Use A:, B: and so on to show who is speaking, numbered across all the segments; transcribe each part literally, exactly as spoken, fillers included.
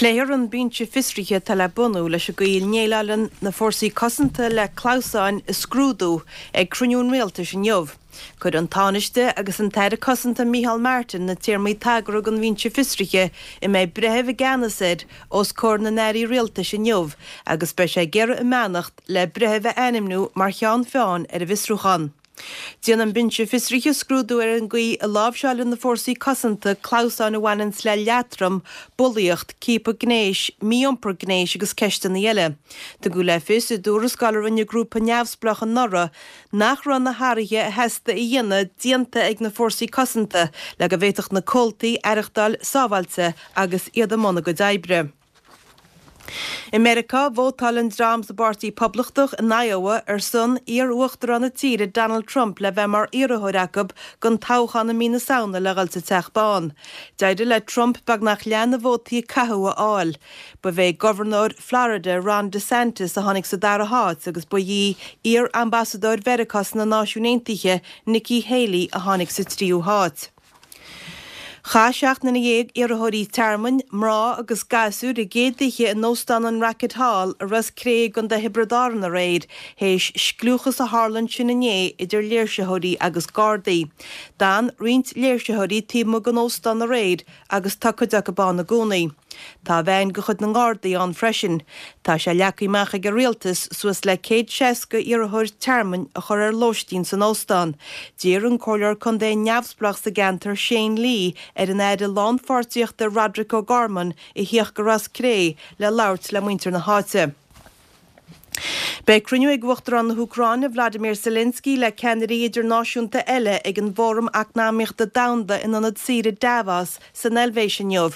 A: Pléifear an binse fiosraithe atá le bunú leis an gcaoi a ndéileálann na fórsaí cosanta le clamhsáin a scrúdú ag cruinniú an rialtais inniu. Cuirfidh an Tánaiste agus an tAire Cosanta Micheál Martin na téarmaí tagartha don bhinse fiosraithe a mbeidh breitheamh i gceannas air os comhair na n-airí rialtais inniu agus beidh sé ag iarraidh a mbeannacht le breitheamh a ainmniú mar cheann feadhain ar an bhfiosrúchán. Déanfaidh an binse fiosraithe scrúdú ar an gcaoi a láimhseálann na fórsaí cosanta clamhsáin a bhaineann le leatrom, bulaíocht, ciapadh gnéis, mí-iompar gnéis agus ceisteanna eile. Tugadh le fios i dtuarascáil a rinne grúpa neamhspleách anuraidh nach raibh na hathruithe a theastaigh a dhéanamh déanta ag na fórsaí cosanta le go bhféadfadh na comhaltaí aireachtáil sábháilte agus iad i mbun a gcuid oibre. I Meiriceá, vótáil an dream sa bPáirtí Poblachtach in Iowa ar son iar-uachtarán na tíre Donald Trump le bheith mar iarrthóir acu don toghchán i mí na Samhna le dhul sa Teach Bán. D'éirigh le Trump beagnach leath na vótaí a caitheadh a fháil. Ba é gobharnóir Florida Ron DeSantis a tháinig sa dara háit agus ba í iar-ambasadóir Mheiriceá sna Náisiúin Aontaithe Nikki Haley a tháinig sa tríú háit. Chaith seacht nduine dhéag iarrthóirí tearmainn, mná agus gasúir a gcéad oíche in Óstán an Racket Hall i Ros Cré i gContae Thiobraid Árann aréir, théis scliúchas a tharla ansin inné idir léirsitheoirí agus Gardaí. D'fhan roinnt léirsitheoirí taobh amuigh den óstán aréir agus tá cuid acu ann i gcónaí. Tá veain de chuid na nGardaí ann freisin. Tá sé leagtha amach ag an rialtas suas le céad seasca iarrthóir tearmainn a chur ar lóistín san óstán. D'iarr an Comhairleoir Contae neamhspleách sa gceantar Shane Lee ar an Aire Lánpháirtíochta Roderic O'Gorman a theacht go Ros Cré le labhairt le muintir na háite. Beidh cruinniú ag Uachtarán na hÚcráine Vladimir Zelensky le ceannairí idirnáisiúnta eile ag an bhFóram Eacnamaíochta Domhanda in ionad saoire Davos san Eilvéis inniu.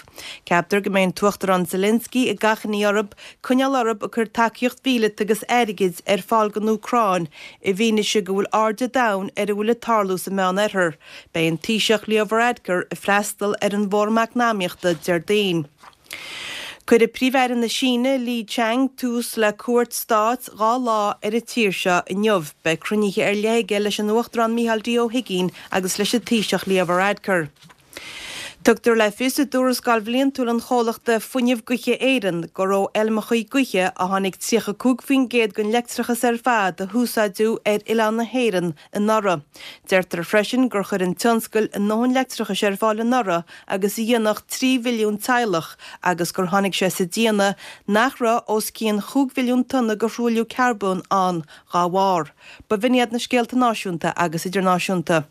A: Ceaptar go mbeidh an tUachtarán Zelensky ag achainí orthu coinneáil orthu ag cur tacaíocht mhíleata agus airgid ar fáil don Úcráin i bhfianaise go bhfuil aird an domhain ar a bhfuil ag tarlú sa Meánoirthear. Beidh an Taoiseach Leo Varadkar ag freastal ar an bhFóram Eacnamaíochta Déardaoin. Cuirfidh Príomh-Aire na Síne Li Qiang tús le cuairt stáit dhá lá ar an tír seo inniu. Beidh cruinnithe ar leith aige leis an Uachtarán Micheál D. Ó hUigínn agus leis an Taoiseach Leo Varadkar. Tugtar le fios i dtuarascáil bhliantúil an chomhlachta Fuinneamh Gaoithe Éireann gur ó fheilmeacha gaoithe a tháinig tríocha cúig faoin gcéad den leictreachas ar fad a húsáideadh ar oileán na hÉireann anuraidh. Deirtear freisin gur chuir an tionscal a ndóthain leictreachais ar fáil anuraidh agus a dhéanfadh trí mhilliún teaghlach agus gur tháinig sé sa déanamh nach raibh os cionn chúig mhilliún tonna de thruailliú carbóin ann dá bharr. B'in iad na scéalta náisiúnta agus idirnáisiúnta.